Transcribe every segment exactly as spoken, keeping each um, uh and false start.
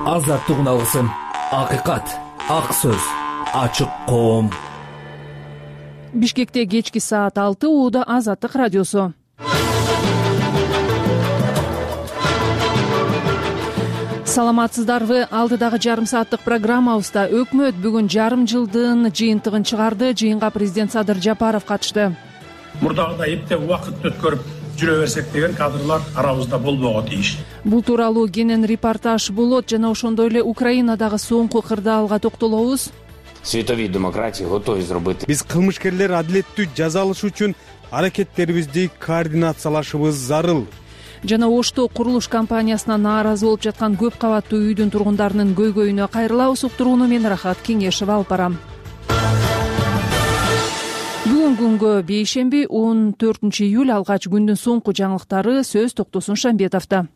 азаттык алгысым, акыйкат, ак сөз, ачык коом. Бишкекте кечки саат алты, ууда Азаттык радиосу. Саламатсыздарбы? Алдыдагы жарым сааттык программабызда өкмөт бүгүн жарым жылдын жыйынтыгын чыгарды. Жыйынга президент Садыр Жапаров катышты. Мурдагыдай эптеп убакыт өткөрүп жүрө берсек деген кадрлар арабызда болбого тийиш. Бул тууралуу кенен репортаж болот жана ошондой эле Украинадагы соңку кырдаалга токтолобуз. Світові демократії готові зробити. Биз кылмышкерлер адилеттүү жаза алышы үчүн аракеттерибизди координациялашыбыз зарыл. Жана Ошто курулуш компаниясына нааразы болуп жаткан көп кабаттуу үйдүн тургундарынын көйгөйүнө кайрылабыз. Уктурууну мен Рахат Кеңешева алып барам. Бүгүн күнгө бейшемби он төртүнчү июль алгач күндүн соңку жаңылыктары. Сөз Токтосун Шамбетовдо.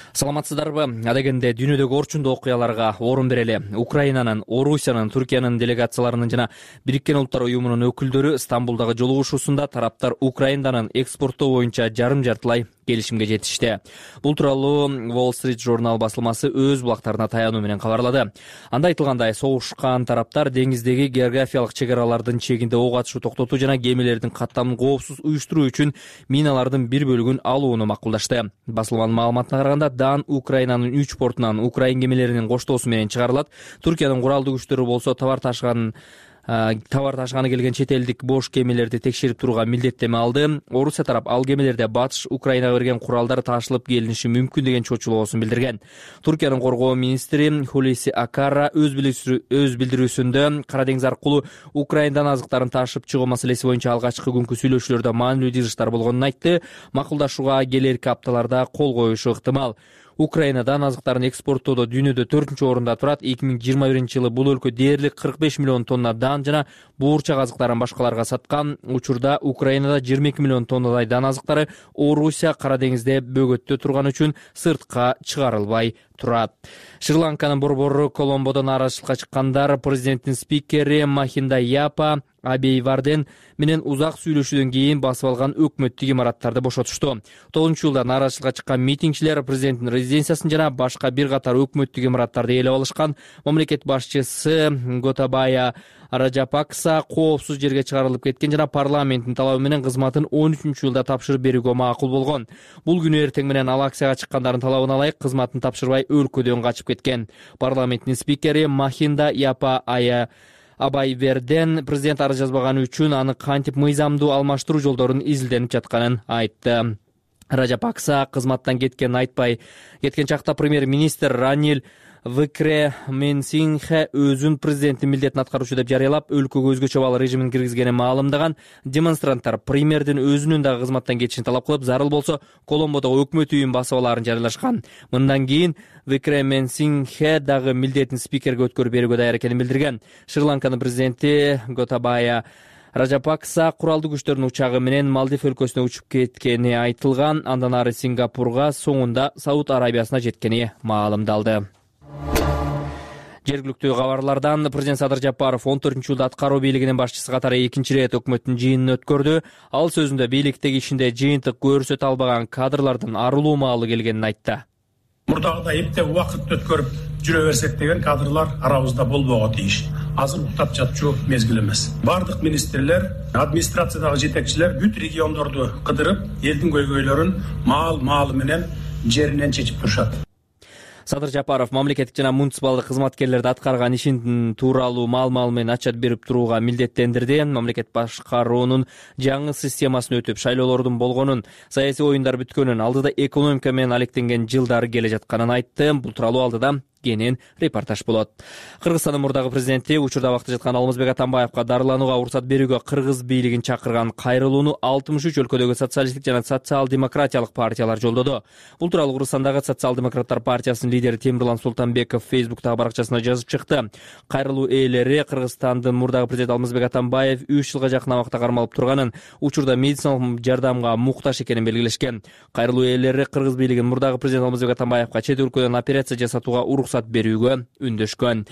Саламатсыздарбы? Адегенде дүйнөдөгү орчундуу окуяларга орун берели. Украинанын, Орусиянын, Түркиянын делегацияларынын жана Бириккен Улуттар Уюмунун өкүлдөрү Стамбулдагы жолугушуусунда тараптар Украинанын экспорттоо боюнча жарым жартылай келишимге жетишти. Бул тууралуу Wall Street журнал басылмасы өз булактарына таянуу менен кабарлады. Анда айтылгандай, согушкан тараптар деңиздеги географиялык чек аралардын чегинде ок атышуу токтотуу жана кемелердин каттамын коопсуз уюштуруу үчүн миналардын бир бөлүгүн алууну макулдашты. Басылманын маалыматына караганда, Дан Украинанын үч портунан украин кемелеринин коштоосу менен чыгарылат. Түркиянын куралдуу күчтөрү болсо товар ташыган товар ташыганы келген чет элдик бош кемелерди текшерип турууга милдеттеме алды. Орусия тарап ал кемелерде батыш Украинага берген куралдар ташылып келиниши мүмкүн деген чочулоосун билдирген. Түркиянын коргоо министри Хулиси Акара өз билдирүүсүндө Кара деңиз аркылуу Украиндан азыктарын ташып чыгуу маселеси боюнча алгачкы күнкү сүйлөшүүлөрдө маанилүү жыгыштар болгонун айтты. Макулдашууга келерки апталарда кол коюшу ыктымал. Украинадан азыктарын экспорттоодо дүйнөдө төртүнчү орунда турат. эки миң жыйырма биринчи жылы бул өлкө дээрлик кырк беш миллион тонна дан жана буурчак азыктарын башкаларга саткан. Учурда Украинада жыйырма эки миллион тоннадай дан азыктары Орусия Кара деңизде бөгөттө турган үчүн сыртка чыгарылбай турат. Шри-Ланканын борбору Коломбодо нааразычылыкка чыккандар президенттин спикери Махинда Япа Абей Варден менен узак сүйлөшүүдөн кийин басып алган өкмөттүк имараттарды бошотушту. тогузунчу жылда нааразычылыкка чыккан митингчилер президенттин резиденциясын жана башка бир катар өкмөттүк имараттарды ээлеп алышкан. Мамлекет башчысы Готабая Раджапакса коопсуз жерге чыгарылып кеткен жана парламенттин талабы менен кызматын он үчүнчү жылда тапшырып берүүгө макул болгон. Бул күнү эртең менен ал акцияга чыккандардын талабына ылайык кызматын тапшырбай өлкөдөн качып кеткен. Парламенттин спикери Махинда Япа Ая Абай Верден президент арыз жазбаганы үчүн аны кантип мыйзамдуу алмаштыруу жолдорун изилденип жатканын айтты. Раджапакса кызматтан кеткенин айтпай кеткен чакта премьер-министр Ранил Викременсингхе өзүн президенттин милдетин аткаруучу деп жарыялап, өлкөгө өзгөчө бал режимин киргизгенин маалымдаган. Демонстранттар премьердин өзүнүн дагы кызматтан кетишин талап кылып, зарыл болсо Коломбодогу өкмөт үйүн басып алаарын жарыялашкан. Мындан кийин Викременсингхе дагы милдетин спикерге өткөрүп берүүгө даяр экенин билдирген. Шри-Ланканын президенти Готабая Раджапакса куралдуу күчтөрдүн учагы менен Малдив өлкөсүнө учуп кеткени айтылган. Андан ары Сингапурга, соңунда Сауд Арабиясына жеткени маалымдалды. Жергиликтүү кабарлардан президент Садыр Жапаров он төртүнчү жылда аткаруу бийлигинин башчысы катары экинчи ирет өкмөттүн жыйынын өткөрдү. Ал сөзүндө бийликтеги ишинде жыйынтык көрсөтө албаган кадрлардын арылуу маалы келгенин айтты. Мурдагыдай эптеп убакыт өткөрүп жүрө берсек деген кадрлар арабызда болбого тийиш. Азыр уктап жатчу мезгил эмес. Бардык министрлер, администрациядагы жетекчилер бүт региондорду кыдырып, элдин көйгөйлөрүн маал-маалы менен жеринен чечип турушат. Садыр Жапаров мамлекеттик жана муниципалдык кызматкерлерди аткарган ишин тууралуу маал-маал менен ачат берип турууга милдеттендирди. Мамлекет башкаруунун жаңы системасын өтүп, шайлоолордун болгонун, саясий оюндар бүткөнүн, алдыда экономика менен алектенген жылдар келе жатканын айтты. Бул тууралуу алдыда кенен репортаж болот. Кыргызстандын мурдагы президенти учурда абакта жаткан Алмазбек Атамбаевка дарыланууга уруксат берүүгө кыргыз бийлигин чакырган кайрылууну алтымыш үч өлкөдөгү социалисттик жана социал-демократиялык партиялар жолдоду. Бул тууралуу Кыргызстандагы социал-демократтар партиясынын лидери Темирлан Султанбеков Фейсбуктагы баракчасына жазып чыкты. Кайрылуу ээлери Кыргызстандын мурдагы президенти Алмазбек Атамбаев үч жылга жакын абакта кармалып турганын, учурда медициналык жардамга муктаж экенин белгилешкен. Кайрылуу ээлери кыргыз бийлигин мурдагы президент Алмазбек Атамбаевка чет өлкөдөн операция жасатууга уруксат берүүгө үндөшкөн.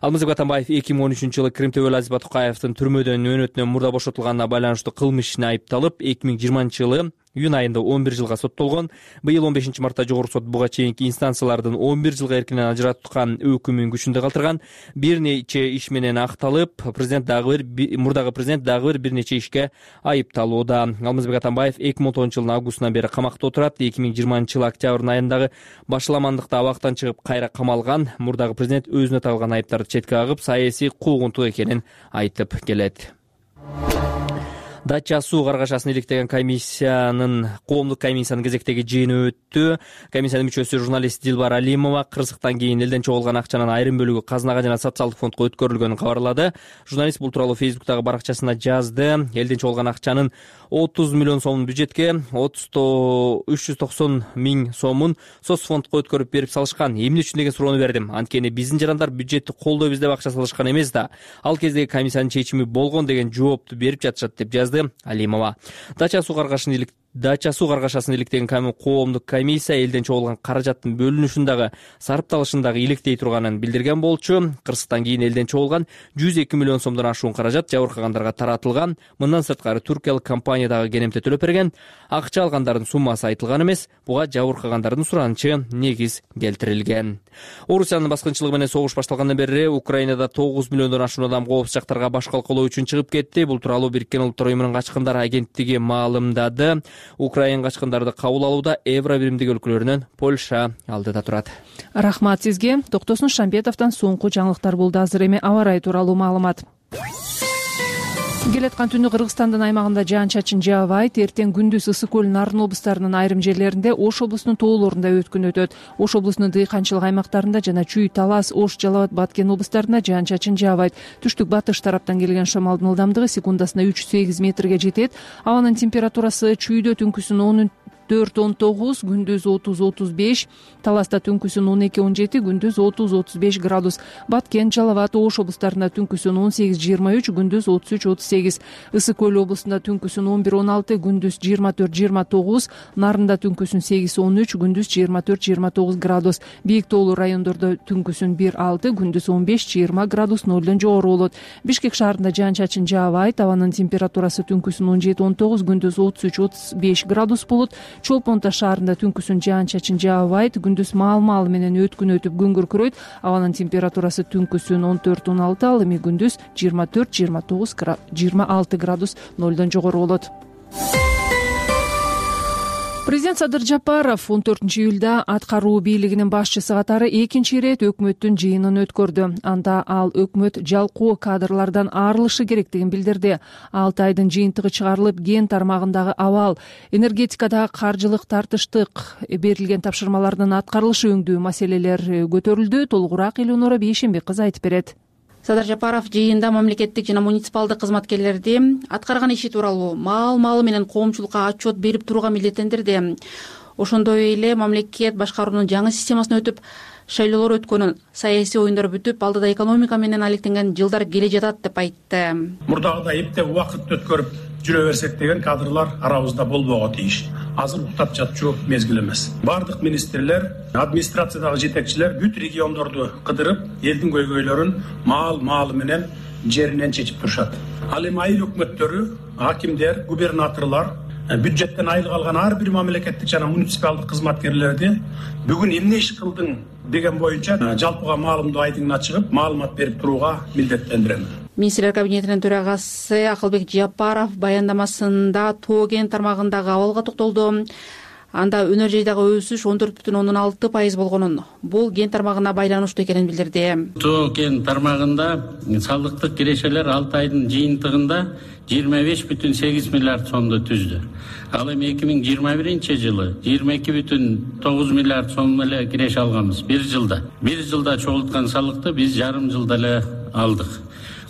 Алмазбек Атамбаев эки миң он үчүнчү жылы Крим Төбөлү Азизбатукаевдин түрмөдөн өөнөтүнөн мурда бошотулганына байланыштуу кылмыш ишине айыпталып, эки миң жыйырманчы жылы июнь айында он бир жылга соттолгон. Быйыл он бешинчи мартта жогорку сот буга чейинки инстанциялардын он бир жылга эркинен ажыраткан өкүмүн күчүндө калтырган. Бир нече иш менен акталып, президент дагы бир мурдагы президент дагы бир бир нече ишке айыпталууда. Алмазбек Атамбаев эки миң он тогузунчу жылдын августунан бери камакта отурат. эки миң жыйырманчы жылы октябрдын айындагы башаламандыкта абактан чыгып кайра камалган. Мурдагы президент өзүнө тагылган айыптарды четке кагып, саясий куугунтук экенин айтып келет. Дача суу каргашасын иликтеген комиссиянын коомдук комиссиянын кезектеги жыйыны өттү. Комиссиянын мүчөсү журналист Дилбар Алимова кырсыктан кийин элден чогулган акчанын айрым бөлүгү казынага жана социалдык фондко өткөрүлгөнүн кабарлады. Журналист бул тууралуу Фейсбуктагы баракчасына жазды. Элден чогулган акчанын отуз миллион сомун бюджетке, үч жүз токсон миң сомун соцфондко өткөрүп берип салышкан. Эмне үчүн деген суроону бердим. Анткени биздин жарандар бюджетти колдойбуз деп акча салышкан эмес да. Ал кездеги комиссиянын чечими болгон деген жоопту берип жатышат деп жазды Алимова. Дача суу каргашасын илик Дача суу каргашасын иликтеген коомдук комиссия элден чогулган каражаттын бөлүнүшүн дагы сарапталышын дагы иликтей турганын билдирген болчу. Кырсыктан кийин элден чогулган жүз эки миллион сомдон ашуун каражат жабыркагандарга таратылган. Мындан сырткары туркиялык компания дагы керемте төлөп берген. Акча алгандардын суммасы айтылган эмес. Буга жабыркагандардын суранычы негиз келтирилген. Орусиянын баскынчылыгы менен согуш башталгандан бери Украинада тогуз миллиондон ашуун адам коопсуз жактарга баш калкалоо үчүн чыгып кетти. Бул тууралуу Бириккен Улуттар уюмунун качкындар агенттиги маалымдады. Украин качкындарды кабыл алууда Евро биримдик өлкөлөрүнөн Польша алдыда турат. Рахмат сизге. Токтосун Шамбетовдон соңку жаңылыктар болду. Азыр эми аба ырайы тууралуу маалымат. Келаткан түнү Кыргызстандын аймагында жаан-чачын жаабайт. Эртең күндүз Ысык көл, Нарын облустарынын айрым жерлеринде, Ош облусунун тоолорунда өткүн өтөт. Ош облусунун дыйканчылык аймактарында жана Чүй, Талас, Ош, Жалал абад, Баткен облустарында жаан-чачын жаабайт. Түштүк батыш тараптан келген шамалдын ылдамдыгы секундасына үч сегиз метрге жетет. Абанын температурасы Чүйдө түнкүсүн он төрт он тогуз, күндүз отуз отуз беш, Таласта түнкүсүн он эки он жети, күндүз отуз отуз беш градус. Баткен, Жалал абад, Ош облустарында түнкүсүн он сегиз жыйырма үч, күндүз отуз үч отуз сегиз. Ысык көл облусунда түнкүсүн он бир он алты, күндүз жыйырма төрт жыйырма тогуз, Нарында түнкүсүн сегиз он үч, күндүз жыйырма төрт жыйырма тогуз градус. Бийик тоолуу райондордо түнкүсүн бир алты, күндүз он беш жыйырма градус нолдон жогору болот. Бишкек шаарында жаан-чачын жаабайт. Абанын температурасы түнкүсүн он жети он тогуз, күндүз отуз үч отуз беш градус болот. Чолпон Таш шаарында түнкүсүн жаан-чачын жаабайт. Күндүз маал-маал менен өткүн өтүп күн күркүрөйт. Абанын температурасы түнкүсүн он төрт он алты, ал эми күндүз жыйырма төрт жыйырма тогуз жыйырма алты градус нолдон жогору болот. Президент Садыр Жапаров он төртүнчү июлда аткаруу бийлигинин башчысы катары экинчи ирет өкмөттүн жыйынын өткөрдү. Анда ал өкмөт жалкоо кадрлардан арылышы керектигин билдирди. алты айдын жыйынтыгы чыгарылып, ген тармагындагы абал, энергетикадагы каржылык тартыштык, берилген тапшырмалардын аткарылышы өңдүү маселелер көтөрүлдү. Толугураак Элеонора Бейшенбек кызы айтып берет. Садыр Жапаров жыйында мамлекеттик жана муниципалдык кызматкерлерди аткарган иши тууралуу маал-маалы менен коомчулукка отчет берип турууга милдеттендирди. Ошондой эле мамлекет башкаруунун жаңы системасына өтүп, шайлоолор өткөнүн, саясий оюндар бүтүп, алдыда экономика менен алектенген жылдар келе жатат деп айтты. Мурдагыдай эптеп убакыт өткөрүп жүрө берсек деген кадрлар арабызда болбого тийиш. Азыр уктап жатчу мезгил эмес. Бардык министрлер, администрациядагы жетекчилер бүт региондорду кыдырып, элдин көйгөйлөрүн маал-маалы менен жеринен чечип турушат. Ал эми айыл өкмөттөрү, акимдер, губернаторлор, бюджеттен айыл алган ар бир мамлекеттик жана муниципалдык кызматкерлерди бүгүн эмне иш кылдың деген боюнча жалпыга маалымдоо айтыңына чыгып, маалымат берип турууга милдеттендирем. Министрлер кабинетинин төрагасы Акылбек Жапаров баяндамасында тоо кен тармагындагы абалга токтолду. Анда өнөр жайдагы өсүш он төрт бүтүн ондон алты пайыз болгонун, бул ген тармагына байланыштуу экенин билдирди. Тоо кен тармагында салыктык кирешелер алты айдын жыйынтыгында жыйырма беш бүтүн сегиз миллиард сомду түздү. Ал эми эки миң жыйырма биринчи жылы жыйырма эки бүтүн тогуз миллиард сом эле киреше алганбыз бир жылда. Бир жылда чогулткан салыкты биз жарым жылда эле алдык.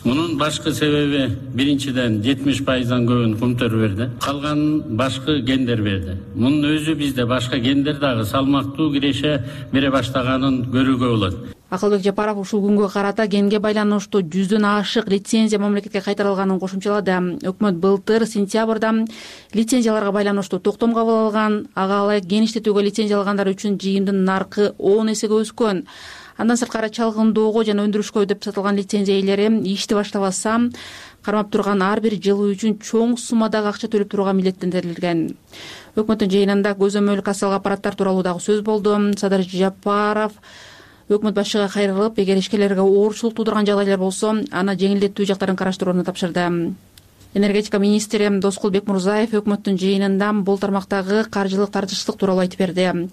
Мунун башкы себеби биринчиден жетимиш пайыздан көбүн Кумтөр берди. Калганын башкы гендер берди. Мунун өзү бизде башка гендер дагы салмактуу киреше бере баштаганын көрүүгө болот. Акылбек Жапаров ушул күнгө карата генге байланыштуу жүздөн ашык лицензия мамлекетке кайтарылганын кошумчалады. Өкмөт былтыр сентябрда лицензияларга байланыштуу токтом кабыл алган. Ага ылайык ген иштетүүгө лицензия алгандар үчүн жыйымдын наркы он эсеге өскөн. Андан сырткары чалгындоого жана өндүрүшкө деп сатылган лицензия ээлери ишти баштабаса, кармап турган ар бир жылуу үчүн чоң суммадагы акча төлөп турууга милдеттендирилген. Өкмөттүн жыйынында көзөмөл кассалык аппараттар тууралуу дагы сөз болду. Садыр Жапаров өкмөт башчыга кайрылып, эгер ишкерлерге оорчулук туудурган жагдайлар болсо, аны жеңилдетүү жактарын караштырууну тапшырды. Энергетика министри Доскул Бекмурзаев өкмөттүн жыйынында бул тармактагы каржылык тартыштык тууралуу айтып берди.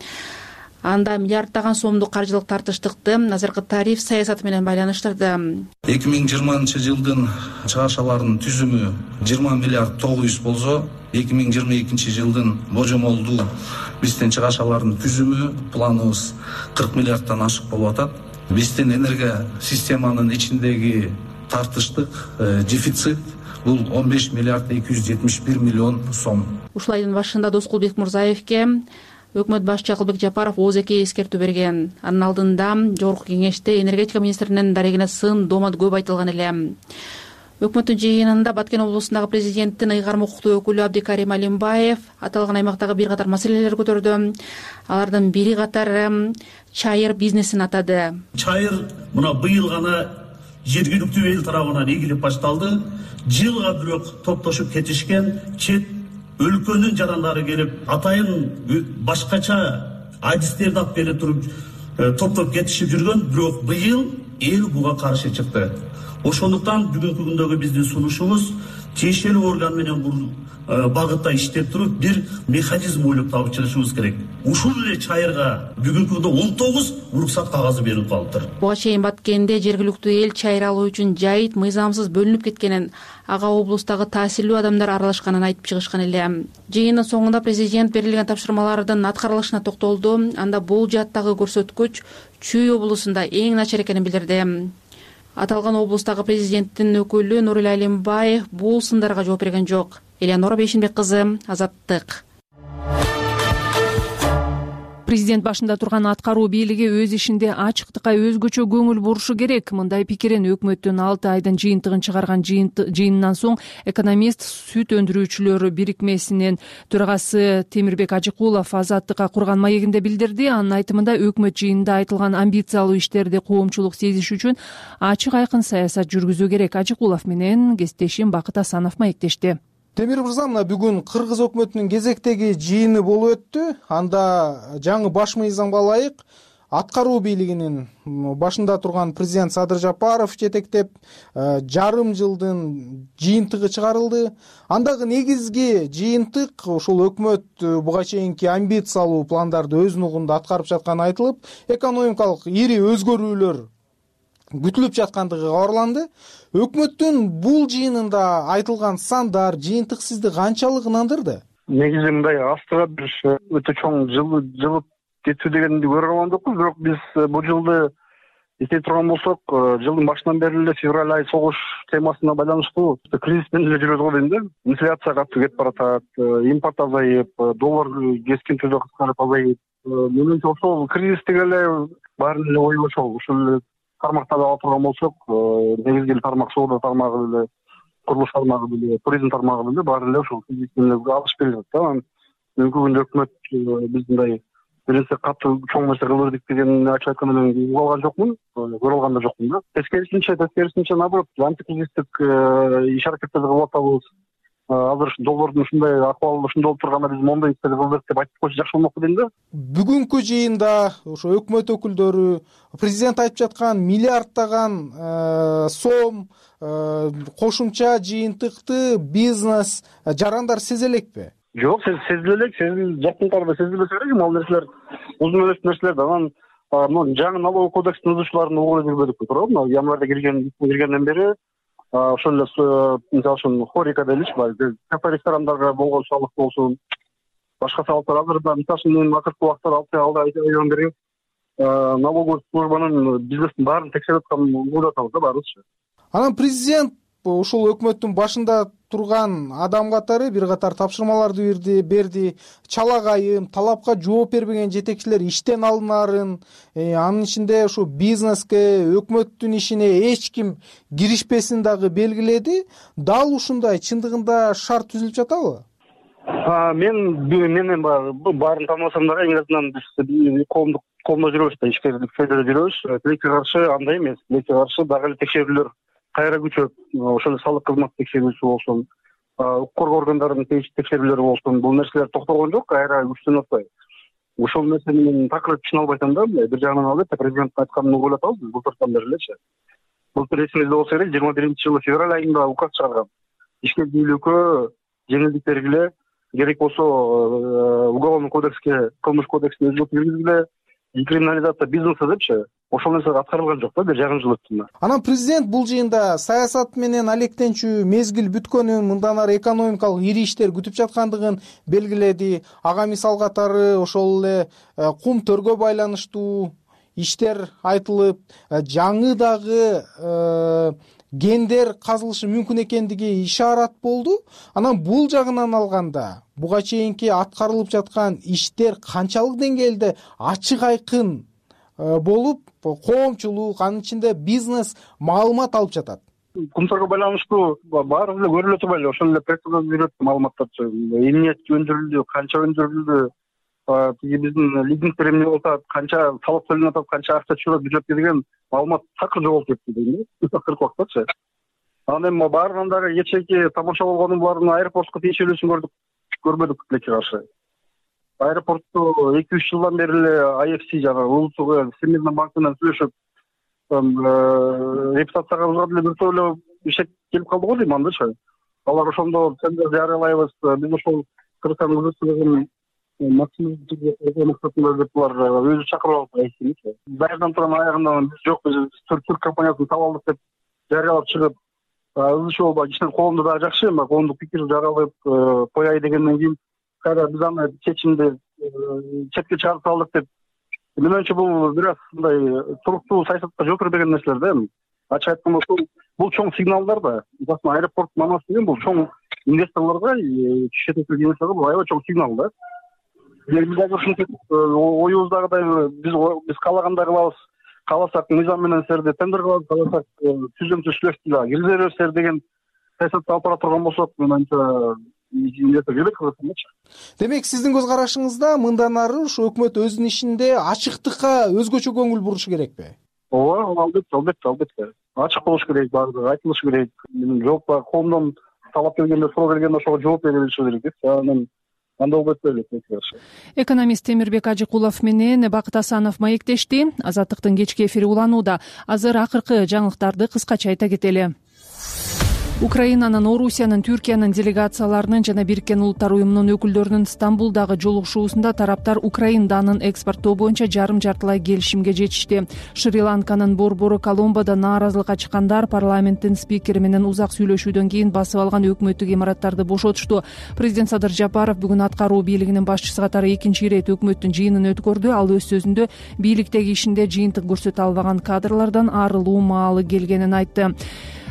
Анда миллиарддаган сомдук каржылык тартыштыкты азыркы тариф саясаты менен байланыштырды. эки миң жыйырманчы жылдын чыгашаларынын түзүмү жыйырма миллиард тогуз жүз болсо, эки миң жыйырма экинчи жылдын божомолдуу биздин чыгашаларынын түзүмү планыбыз кырк миллиарддан ашык болуп атат. Биздин энергия системанын ичиндеги тартыштык дефицит бул он беш миллиард эки жүз жетимиш бир миллион сом. Ушул айдын башында Доскул Бекмурзаевке өкмөт башчы Акылбек Жапаров ооз-эки эскертүү берген. Анын алдында жогорку кеңеште энергетика министринин дарегине сын доомат көп айтылган эле. Өкмөттүн жыйынында Баткен облусундагы президенттин ыйгарым укуктуу өкүлү Абдикарим Алимбаев аталган аймактагы бир катар маселелер көтөрдү. Алардын бири катары чайыр бизнесин атады. Чайыр мына быйыл гана жергиликтүү эл тарабынан ийгилип башталды. Жылга бирок топтошуп кетишкен чет өлкөнүн жарандары келип атайын башкача адистерди алып келе туруп топтоп кетишип жүргөн, бирок быйыл эл буга каршы чыкты. Ошондуктан бүгүнкү күндөгү биздин сунушубуз тиешелүү орган менен бул багытта иштеп туруп бир механизм ойлоп таап чыгышыбыз керек. Ушул эле чайырга бүгүнкү күндө он тогуз уруксат кагазы берилип калыптыр. Буга чейин Баткенде жергиликтүү эл чайыр алуу үчүн жайыт мыйзамсыз бөлүнүп кеткенин, ага облустагы таасирлүү адамдар аралашканын айтып чыгышкан эле. Жыйындын соңунда президент берилген тапшырмалардын аткарылышына токтолду. Анда бул жааттагы көрсөткүч Чүй облусунда эң начар экенин билдирди. Аталган облустагы президенттин өкүлү Нурил Алимбаев бул сындарга жооп берген жок. Элеонора Бейшинбек кызы, Азаттык. Президент башында турган аткаруу бийлиги өз ишинде ачыктыкка өзгөчө көңүл бурушу керек. Мындай пикирин өкмөттүн алты айдын жыйынтыгын чыгарган жыйынынан соң экономист сүт өндүрүүчүлөр бирикмесинин төрагасы Темирбек Ажыкулов Азаттыкка курган маегинде билдирди. Анын айтымында өкмөт жыйынында айтылган амбициялуу иштерди коомчулук сезиш үчүн ачык айкын саясат жүргүзүү керек. Ажыкулов менен кесиптешим Бакыт Асанов маектешти. Темир мырза, мына бүгүн кыргыз өкмөтүнүн кезектеги жыйыны болуп өттү. Анда жаңы баш мыйзамга ылайык аткаруу бийлигинин башында турган президент Садыр Жапаров жетектеп жарым жылдын жыйынтыгы чыгарылды. Андагы негизги жыйынтык ушул өкмөт буга чейинки амбициялуу пландарды өз нугунда аткарып жатканы айтылып, экономикалык ири өзгөрүүлөр күтүлүп жаткандыгы кабарланды. Өкмөттүн бул жыйынында айтылган сандар, жыйынтык сизди канчалык ынандырды? Негизи мындай астыга бир өтө чоң жылып кетүү дегенди көрө алган жокпуз, бирок биз бул жылды эстей турган болсок, жылдын башынан бери эле февраль ай согуш темасына байланыштуу кризис менен эле жүрөбүз го дейм да. Инфляция катуу кетип баратат, импорт азайып, доллар кескин түрдө кыскарып азайып. Менимче ошол кризистик эле баарын эле ою ошол ушул тармактарды ала турган болсок, негизги тармак соода тармагы эле, курулуш тармагы эле, туризм тармагы эле баары эле ошол кризистен алышып келе жатат да. Бүгүнкү күндө өкмөт биз мындай бир нерсе катуу чоң нерсе кылдырдык деген ачык айтканда мен угуп алган жокмун, көрүп алган да жокмун да. Тескерисинче, тескерисинче наоборот, антикризистик иш аракеттерди кылып атабыз. Азыр доллардын ушундай акыбалы ушундай болуп турганда биз мондой иштерди кылдык деп айтып койсо жакшы болмокпу дейм да. Бүгүнкү жыйында ошо өкмөт өкүлдөрү президент айтып жаткан миллиарддаган сом кошумча жыйынтыкты бизнес жарандар сезе элекпи? Жок, сезиле элек, сезил жакын арада сезилбесе керек. Ал нерселер узун элес нерселер да. Анан мына жаңы налоговый кодекстин бузуучуларын угуп жүрбөдүкпү, туурабы? Мына январда кирген киргенден бери ошол эле мисалы үчүн хорика деличи, кафе ресторандарга болгон салык болсун, башка салыктар азырда мисалы үчүн акыркы убакта алты айдан бери налоговый службанын бизнестин баарын текшерип атканын угуп атабыз да баарыбызчы. Анан президент ушул өкмөттүн башында турган адам катары бир катар тапшырмаларды берди. Чалагайым, талапка жооп бербеген жетекчилер иштен алынарын, анын ичинде ушу бизнеске, өкмөттүн ишине эч ким киришпесин дагы белгиледи. Дал ушундай чындыгында шарт түзүлүп жатабы? Мен менен баарын тааныбасам дагы эң азынан биз коомдук колдо жүрөбүз да, ишкерлик фейдада жүрөбүз. Тилекке каршы андай эмес. Тилекке каршы дагы эле текшерүүлөр кайра күчөп, ошол эле салык кызмат текшерүүсү болсун, укук коргоо органдарынын текшерүүлөрү болсун, бул нерселер токтогон жок, кайра күчтөнүп атпайбы. Ошол нерсе менен такыр түшүнө албайсам да, бир жагынан албетте президенттин айтканын угуп атабыз биз былтыртан бери элечи. Былтыр эсиңизде болсо керек, жыйырма биринчи жылы февраль айында указ чыгарган. Ишке бийликкө жеңилдик бергиле, керек болсо уголовный кодекске, кылмыш кодексине өзгөртүү киргизгиле, декриминализация бизнеса депчи. Ошол нерсе аткарылган жок да, бир жарым жыл өттү. Анан президент бул жыйында саясат менен алектенчүү мезгил бүткөнүн, мындан ары экономикалык ири иштер күтүп жаткандыгын белгиледи. Ага мисал катары ошол эле кум төргө байланыштуу иштер айтылып, жаңы дагы гендер казылышы мүмкүн экендиги ишарат болду. Анан бул жагынан алганда буга чейинки аткарылып жаткан иштер канчалык деңгээлде ачык айкын болуп, коомчулук, анын ичинде бизнес маалымат алып жатат? Кумтарга байланыштуу баары эле көрүлө турбайбы? Ошол эле прессага берет маалыматтарчы. Эмне өндүрүлдү, канча өндүрүлдү, тиги биздин лизингдер эмне болуп атат, канча салык төлөнүп атат, канча акча чыгып бюджетке деген маалымат такыр жоголуп кетти дейм да. Акыркы убактачы. Анан эми баарынан дагы кечээки тамаша болгону булардын аэропортко тиешелүүсүн көрдүк, көрбөдүк тилекке каршы. Аэропортту эки үч жылдан бери эле ай эф си жана улуттук Всемирный банк менен сүйлөшүп, репутациябызга деле бир топ эле ишек келип калды го дейм андачы. Алар ошондо тендер жарыялайбыз, биз ошол Кыргызстан өзүнүн максатында деп булар өзү чакырып алып айтты. Дайырдан турган аягында биз жок, биз түрк компаниясын таап алдык деп жарыялап чыгып, ызычы болбой кичине коомдо дагы жакшы эми коомдук пикир жаралып кояй дегенден кийин кайра биз аны чечимди четке чыгарып салдык деп. Мен оюмча бул бир аз мындай туруктуу саясатка жол бербеген нерселер да эми. Ачык айтканда бул чоң сигналдар да. Мисалы аэропорт манас деген бул чоң инвесторлорго, чет элдик инвесторлорго бул аябай чоң сигнал да. Биз дагы ушинтип оюбуздагыдай биз биз каалагандай кылабыз. Кааласак мыйзам менен силерди тендер кылабыз, кааласак түзөмчү шлюзди дагы киргизе берсиңер деген саясатты алып бара турган болсок, мен оюмча демек сиздин көз карашыңызда мындан ары ушу өкмөт өзүнүн ишинде ачыктыкка өзгөчө көңүл бурушу керекпи? Ооба, албетте, албетте, албетте. Ачык болуш керек, баардыгы айтылышы керек. Жооп бар, коомдон талап келгенде, суроо келгенде ошого жооп бере билиши керек. Анан анда болбойт беле. Экономист Темирбек Ажыкулов менен Бакыт Асанов маектешти. Азаттыктын кечки эфири уланууда. Азыр акыркы жаңылыктарды кыскача айта кетели. Украинанын, Орусиянын, Түркиянын делегацияларынын жана Бириккен Улуттар уюмунун өкүлдөрүнүн Стамбулдагы жолугушуусунда тараптар Украин данын экспорттоо боюнча жарым жартылай келишимге жетишти. Шри-Ланканын борбору Коломбодо нааразылыкка чыккандар парламенттин спикери менен узак сүйлөшүүдөн кийин басып алган өкмөттүк имараттарды бошотушту. Президент Садыр Жапаров бүгүн аткаруу бийлигинин башчысы катары экинчи ирет өкмөттүн жыйынын өткөрдү. Ал өз сөзүндө бийликтеги ишинде жыйынтык көрсөтө албаган кадрлардан арылуу маалы келгенин айтты.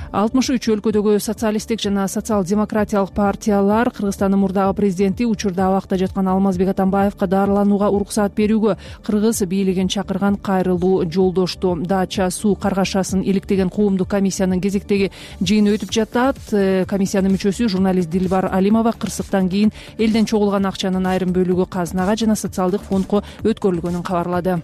алтымыш үч өлкөдөгү социалисттик жана социал-демократиялык партиялар Кыргызстандын мурдагы президенти учурда абакта жаткан Алмазбек Атамбаевка дарыланууга уруксаат берүүгө кыргыз бийлигин чакырган кайрылуу жолдошту. Дача суу каргашасын иликтеген коомдук комиссиянын кезектеги жыйыны өтүп жатат. Комиссиянын мүчөсү журналист Дилбар Алимова кырсыктан кийин элден чогулган акчанын айрым бөлүгү казынага жана социалдык фондко өткөрүлгөнүн кабарлады.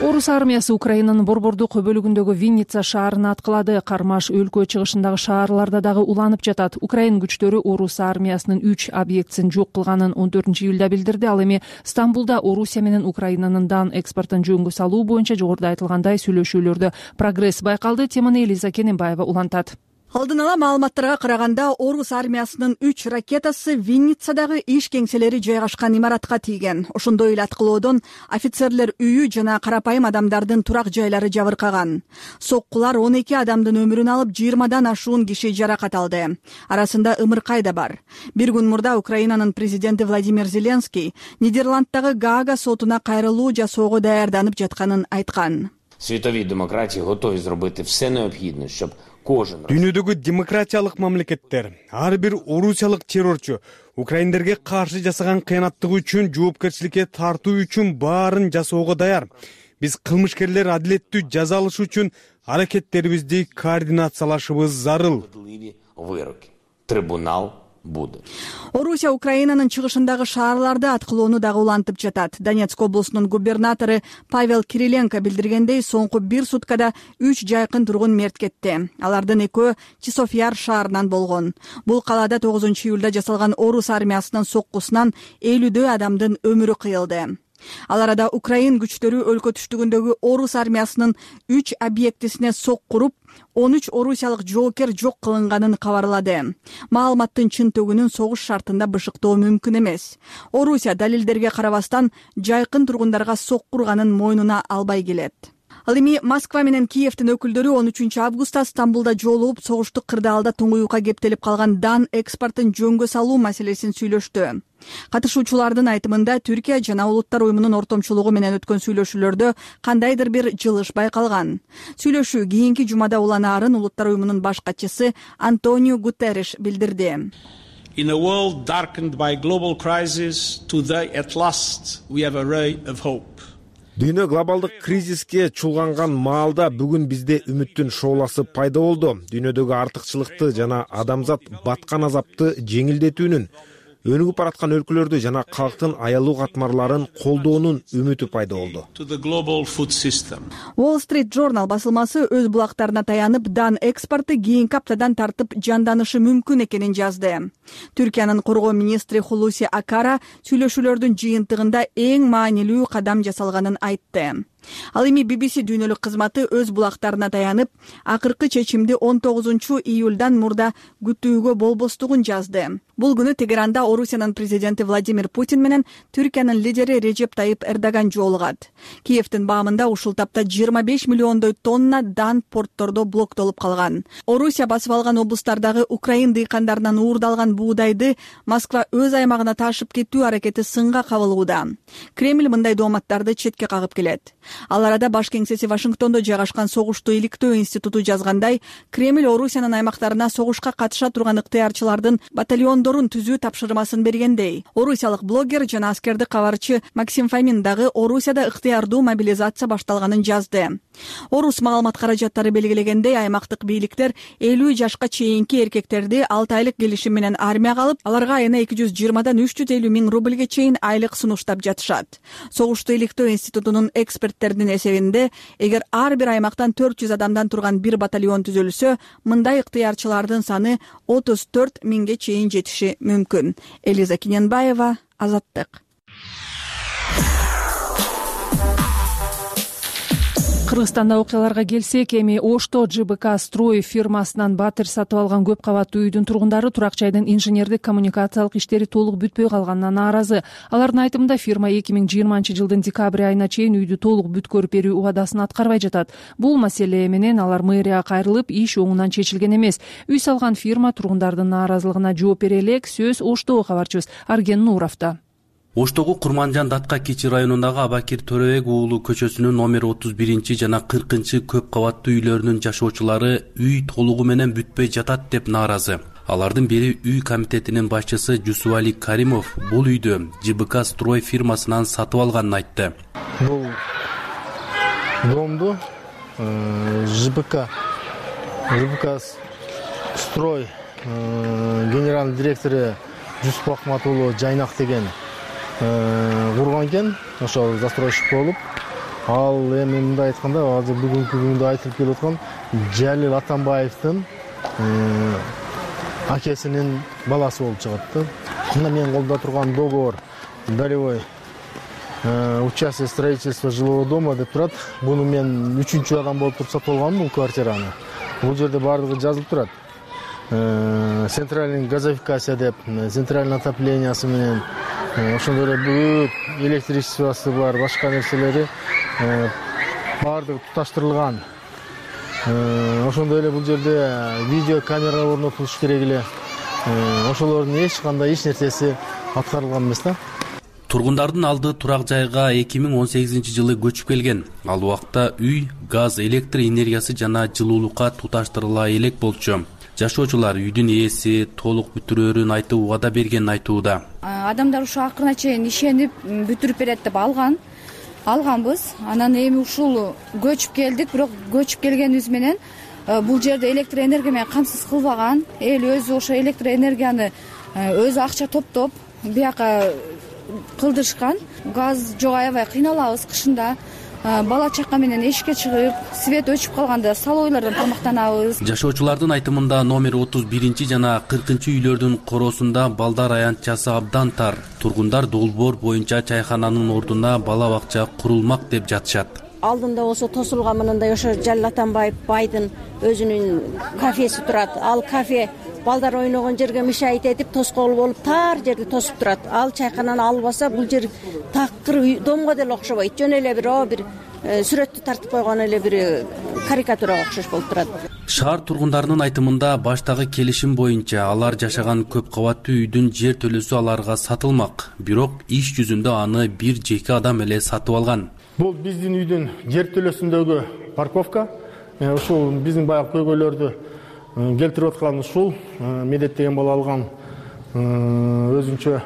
Орус армиясы Украинанын борбордук бөлүгүндөгү Винница шаарын аткылады. Кармаш өлкө чыгышындагы шаарларда дагы уланып жатат. Украин күчтөрү Орус армиясынын үч объектисин жок кылганын он төртүнчү июлда билдирди. Ал эми Стамбулда Орусия менен Украинанын дан экспортун жөнгө салуу боюнча жогоруда айтылгандай сүйлөшүүлөрдө прогресс байкалды. Теманы Элиза Кененбаева улантат. Алдын ала маалыматтарга караганда Орус армиясынын үч ракетасы Винницадагы иш кеңселери жайгашкан имаратка тийген. Ошондой эле аткылоодон офицерлер үйү жана карапайым адамдардын турак жайлары жабыркаган. Соккулар он эки адамдын өмүрүн алып, жыйырмадан ашуун киши жаракат алды. Арасында ымыркай да бар. Бир күн мурда Украинанын президенти Владимир Зеленский Нидерланддагы Гаага сотуна кайрылуу жасоого даярданып жатканын айткан. Світові демократії готові зробити все необхідне, щоб кожен Дүйнөдөгү демократиялык мамлекеттер ар бир орусиялык террорчу украиндерге каршы жасаган кыянаттыгы үчүн жоопкерчиликке тартуу үчүн баарын жасоого даяр. Биз кылмышкерлер адилеттүү жаза алышы үчүн аракеттерибизди координациялашыбыз зарыл. вироки. Трибунал буде. Орусия Украинанын чыгышындагы шаарларды аткылоону дагы улантып жатат. Донецк облусунун губернатору Павел Кириленко билдиргендей, соңку бир суткада үч жайкын тургун мерт кетти. Алардын экөө Часов-Яр шаарынан болгон. Бул калаада тогузунчу июлда жасалган орус армиясынын соккусунан элүүдөй адамдын өмүрү кыйылды. Ал арада Украин күчтөрү өлкө түштүгүндөгү орус армиясынын үч объектисине соккуруп, он үч орусиялык жоокер жок кылынганын кабарлады. Маалыматтын чынтөгүнүн согуш шартында бышыктоо мүмкүн эмес. Орусия далилдерге карабастан жайкын тургундарга соккурганын мойнуна албай келет. Ал эми Москва менен Киевдин өкүлдөрү он үчүнчү августта Стамбулда жолугуп, согуштук кырдаалда туңуюкка кептелип калган дан экспортун жөнгө салуу маселесин сүйлөштү. Катышуучулардын айтымында Түркия жана Улуттар уюмунун ортомчулугу менен өткөн сүйлөшүүлөрдө кандайдыр бир жылыш байкалган. Сүйлөшүү кийинки жумада уланаарын Улуттар уюмунун баш катчысы Антонио Гутерриш билдирди. In a world darkened by global crisis, today at last we have a ray of hope. Дүйнө глобалдык кризиске чулганган маалда бүгүн бизде үмүттүн шооласы пайда болду. Дүйнөдөгү артыкчылыкты жана адамзат баткан азапты жеңилдетүүнүн, өнүгүп бараткан өлкөлөрдү жана калктын аялуу катмарларын колдоонун үмүтү пайда болду. Wall Street Journal басылмасы өз булактарына таянып, дан экспорту кийинки аптадан тартып жанданышы мүмкүн экенин жазды. Түркиянын коргоо министри Хулуси Акара сүйлөшүүлөрдүн жыйынтыгында эң маанилүү кадам жасалганын айтты. Ал эми би би си дүйнөлүк кызматы өз булактарына таянып, акыркы чечимди он тогузунчу июлдан мурда күтүүгө болбостугун жазды. Бул күнү Тегеранда Орусиянын президенти Владимир Путин менен Түркиянын лидери Режеп Тайып Эрдоган жолугат. Киевдин баамында ушул тапта жыйырма беш миллиондой тонна дан порттордо блоктолуп калган. Орусия басып алган облустардагы Украин дыйкандарынан уурдалган буудайды Москва өз аймагына ташып кетүү аракети сынга кабылууда. Кремль мындай дооматтарды четке кагып келет. Ал арада баш кеңсеси Вашингтондо жайгашкан согушту иликтөө институту жазгандай, Кремль Орусиянын аймактарына согушка катыша турган ыктыярчылардын батальондорун түзүү тапшырмасын бергендей. Орусиялык блогер жана аскердик кабарчы Максим Фомин дагы Орусияда ыктыярдуу мобилизация башталганын жазды. Орус маалымат каражаттары белгилегендей, аймактык бийликтер элүү жашка чейинки эркектерди алты айлык келишим менен армияга алып, аларга айына эки жүз жыйырмадан үч жүз элүү миң рубльге чейин айлык сунуштап жатышат. Согушту иликтөө институтунун эксперттердин эсебинде, эгер ар бир аймактан төрт жүз адамдан турган бир батальон түзүлсө, мындай ыктыярчылардын саны отуз төрт миңге чейин жетиши мүмкүн. Элиза Киненбаева, Азаттык. Кыргызстанда окуяларга келсек, эми Ошто Ж Б К Строй фирмасынан батир сатып алган көп кабаттуу үйдүн тургундары турак жайдын инженердик коммуникациялык иштери толук бүтпөй калганына нааразы. Алардын айтымында, фирма эки миң жыйырманчы жылдын декабрь айына чейин үйдү толук бүткөрүп берүү убадасын аткарбай жатат. Бул маселе менен алар мэрияга кайрылып, иш оңунан чечилген эмес. Үй салган фирма тургундардын нааразылыгына жооп бере элек, сөз Оштого кабарчыбыз Арген Нуровдо. Оштогу Курманжан Датка Кичи районундагы Абакир Төрөбек уулу көчөсүнүн номер отуз биринчи жана кыркынчы көп кабаттуу үйлөрүнүн жашоочулары үй толугу менен бүтпөй жатат деп нааразы. Алардын бири үй комитетинин башчысы Жусуали Каримов бул үйдү Ж Б К Строй фирмасынан сатып алганын айтты. Бул домду Ж Б К Ж Б К Строй генеральный директору Жусуп Ахмат уулу Жайнак деген курган экен, ошол застройщик болуп. Ал эми мындай айтканда, азыр бүгүнкү күндө айтылып келип аткан Жалил Атамбаевдин акесинин баласы болуп чыгат. Мына менин колдо турган договор долевой участие строительства жилого дома деп турат. Буну мен үчүнчү адам болуп туруп сатып алгам бул квартираны. Бул жерде баардыгы жазылып турат. Центральный газификация деп, центральный отоплениесы менен, ошондой эле бүт электричествосы бар, башка нерселери баардыгы туташтырылган. Ошондой эле бул жерде видео камера орнотулуш керек эле. Ошолордун эч кандай эч нерсеси аткарылган эмес да. Тургундардын алды турак жайга эки миң он сегизинчи жылы көчүп келген. Ал убакта үй, газ, электр энергиясы жана жылуулукка туташтырыла элек болчу. Жашоочулар үйдүн ээси толук бүтүрөөрүн айтып убада бергенин айтууда. Адамдар ушу акырына чейин ишенип бүтүрүп берет деп алган. Алганбыз. Анан эми ушул көчүп келдик, бирок көчүп келгенибиз менен бул жерде электр энергия менен камсыз кылбаган. Эл өзү ошо электр энергияны өзү акча топтоп бияка кылдырышкан. Газ жок, аябай кыйналабыз кышында. Бала чака менен эшикке чыгып, свет өчүп калганда салойлордон тамактанабыз. Жашоочулардын айтымында номер отуз биринчи жана кыркынчы үйлөрдүн коросунда балдар аянтчасы абдан тар. Тургундар долбоор боюнча чайхананын ордуна бала бакча курулмак деп жатышат. Алдында болсо тосулган мындай ошо Жалил Атамбаев байдын өзүнүн кафеси турат. Ал кафе балдар ойногон жерге мешайт этип тоскоол болуп тар жерди тосуп турат. Ал чайхананы албаса бул жер такыр домго деле окшобойт. Жөн эле бир о бир сүрөттү тартып койгон эле бир карикатурага окшош болуп турат. Шаар тургундарынын айтымында баштагы келишим боюнча алар жашаган көп кабаттуу үйдүн жер төлөөсү аларга сатылмак. Бирок иш жүзүндө аны бир жеке адам эле сатып алган. Бул биздин үйдүн жер төлөөсүндөгү парковка. Ушул биздин баягы көйгөйлөрдү келтирип аткан ушул медет деген бала алган өзүнчө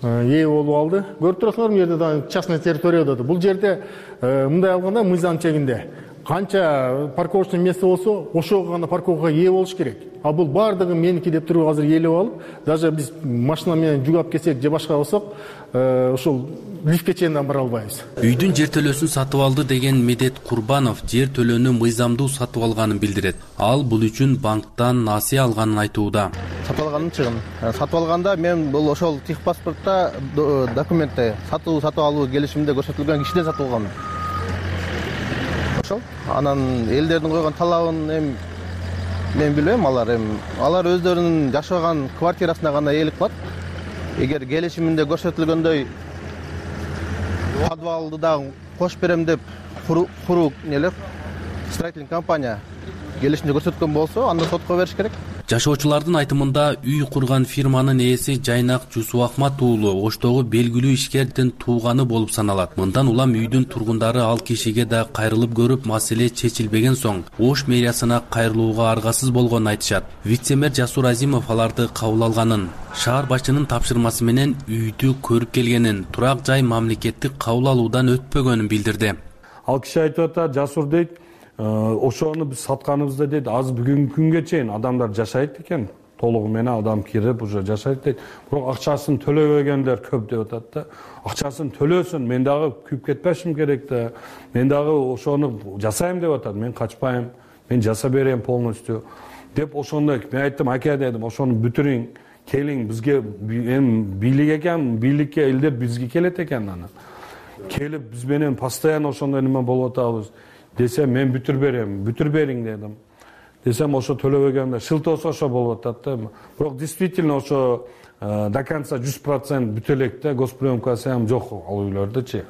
ээ болуп алды. Көрүп турасыңар, бул жерде да частный территория да. Бул жерде мындай алганда мыйзам чегинде канча парковочный место болсо, ошого гана парковкага ээ болуш керек. А бул бардыгы меники деп туруп азыр ээлеп алып, даже биз машина менен жүгап келсек же башка болсок, ушул лифтке чейин бара албайбыз. Үйдүн жер төлөөсүн сатып алды деген Медет Курбанов жер төлөөнү мыйзамдуу сатып алганын билдирет. Ал бул үчүн банктан насыя алганын айтууда. Сатып алганым чыгым. Сатып алганда мен бул ошол техпаспортто документте сатуу сатып алуу келишимде көрсөтүлгөн кишиден сатып алганмын. Ошол. Анан элдердин койгон талабын эми мен билбейм, алар эми алар өздөрүнүн жашаган квартирасына гана ээлик кылат. Эгер келишиминде көрсөтүлгөндөй подвалды да кош берем деп куруу нелер строительный компания келишимде көрсөткөн болсо, анда сотко бериш керек. Жашоочулардын айтымында үй курган фирманын ээси Жайнак Жусуахмат уулу Оштогу белгилүү ишкердин тууганы болуп саналат. Мындан улам үйдүн тургундары ал кишиге да кайрылып көрүп, маселе чечилбеген соң Ош мэриясына кайрылууга аргасыз болгонун айтышат. Вице-мэр Жасур Азимов аларды кабыл алганын, шаар башчынын тапшырмасы менен үйдү көрүп келгенин, турак жай мамлекеттик кабыл алуудан өтпөгөнүн билдирди. Ал киши айтып атат, Жасур дейт, ошону биз сатканыбызда дейт, азыр бүгүнкү күнгө чейин адамдар жашайт экен, толугу менен адам кирип уже жашайт дейт. Бирок акчасын төлөбөгөндөр көп деп атат да. Акчасын төлөсүн, мен дагы күйүп кетпешим керек да. Мен дагы ошону жасайм деп атат. Мен качпайм, мен жаса берем полностью деп ошондой. Мен айттым, аке дедим, ошону бүтүрүң, келиң бизге, эми бийлик экен, бийликке элдер бизге келет экен анан. Келип биз менен постоянно ошондой неме болуп атабыз. Десем, мен бүтүр берем, бүтүр бериң дедим. Десем, ошо төлөбөгөндө шылтоосо ошо болуп атат да. Бирок действительно ошо до конца жүз процент бүтө элек да, госприемкасы ham жок ал үйлөрдөчү.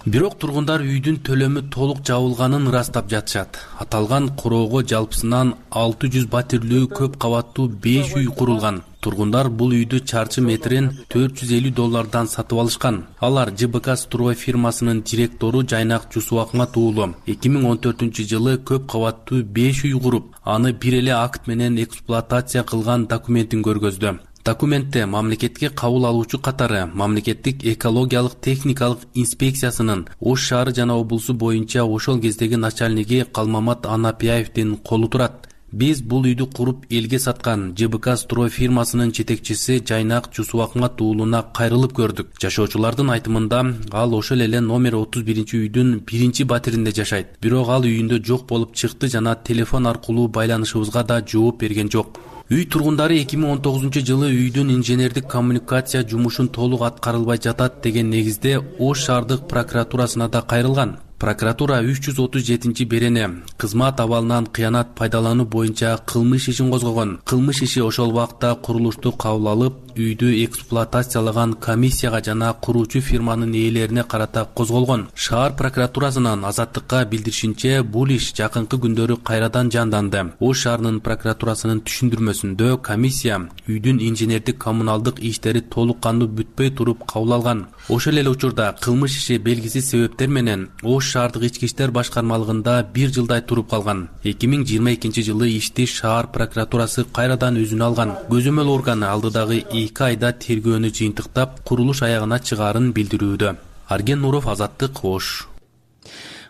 Бирок тургундар үйдүн төлөмү толук жабылганын ырастап жатышат. Аталган куроого жалпысынан алты жүз батирлүү көп кабаттуу беш үй курулган. Тургундар бул үйдү чарчы метрин төрт жүз элүү доллардан сатып алышкан. Алар Ж Б К строй фирмасынын директору Жайнак Жусуахмат уулу эки миң он төртүнчү жылы көп кабаттуу беш үй куруп, аны бир эле акт менен эксплуатация кылган документин көргөздү. Документте мамлекетке кабыл алуучу катары мамлекеттик экологиялык техникалык инспекциясынын Ош шаары жана облусу боюнча ошол кездеги начальниги Калмамат Анапияевдин колу турат. Биз бул үйдү куруп элге саткан Ж Б К строй фирмасынын жетекчиси Жайнак Жусуахмат уулуна кайрылып көрдүк. Жашоочулардын айтымында ал ошол эле номер отуз биринчи үйдүн биринчи батиринде жашайт. Бирок ал үйүндө жок болуп чыкты жана телефон аркылуу байланышыбызга да жооп берген жок. Үй тургундары эки миң он тогузунчу жылы үйдүн инженердик коммуникация жумушун толук аткарылбай жатат деген негизде Ош шаардык прокуратурасына да кайрылган. Прокуратура үч жүз отуз жетинчи берене кызмат абалынан кыянат пайдалануу боюнча кылмыш ишин козгогон. Кылмыш иши ошол убакта курулушту кабыл алып, үйдү эксплуатациялаган комиссияга жана куруучу фирманын ээлерине карата козголгон. Шаар прокуратурасынын Азаттыкка билдиришинче, бул иш жакынкы күндөрү кайрадан жанданды. Ош шаарынын прокуратурасынын түшүндүрмөсүндө комиссия үйдүн инженердик коммуналдык иштери толук кандуу бүтпөй туруп кабыл алган. Ошол эле учурда кылмыш иши белгисиз себептер менен Ош шаардык ички иштер башкармалыгында бир жылдай туруп калган. эки миң жыйырма экинчи жылы ишти шаар прокуратурасы кайрадан өзүнө алган. Көзөмөл органы алдыдагы эки айда тергөөнү жыйынтыктап, курулуш аягына чыгаарын билдирүүдө. Арген Нуров, Азаттык, Ош.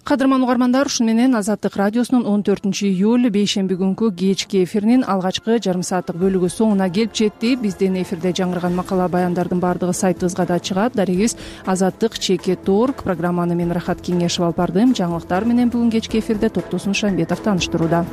кадырман угармандар, ушуну менен Азаттык радиосунун он төртүнчү июль бейшемби күнкү кечки эфиринин алгачкы жарым сааттык бөлүгү соңуна келип жетти. Биздин эфирде жаңырган макала баяндардын баардыгы сайтыбызга да чыгат. Дарегибиз азаттык чекит точка орг. Программаны мен Рахат Кеңешов алып бардым. Жаңылыктар менен бүгүн кечки эфирде Токтосун Шамбетов тааныштырууда.